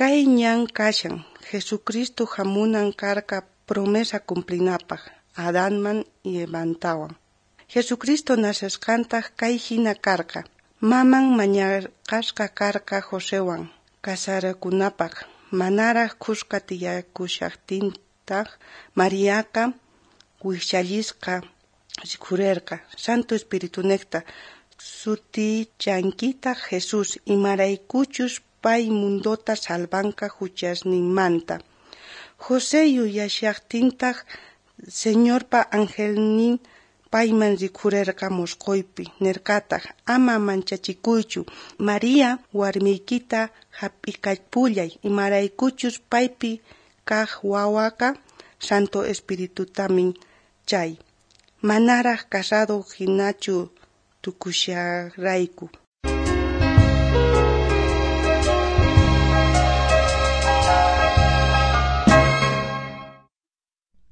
Kay ñan kashan, Jesucristo jamunan karka promesa cumplinapaj Adanman y Evantawan. Jesucristo nacesqantaj kay jina karqa, Maman mañaqasqa karqa Josewan casarakunapaj, manaraj khuska tiyakushajtintaj, Mariaqa wijchallisqa rikhurerqa Santo Espiritunejta. Sutichankitaj Jesús, imaraykuchus pay mundota salvanka juchasninmanta. José yuyashajtintaj, Señorpa angelnin payman rikhurerqa mosqoypi, nerqataj: Ama manchachikuychu, María warmiykita jap'ikapullay, imaraykuchus paypi kaj wawaqa Santo Espiritutamin chay, manaraj casado jinachu tukusharayku.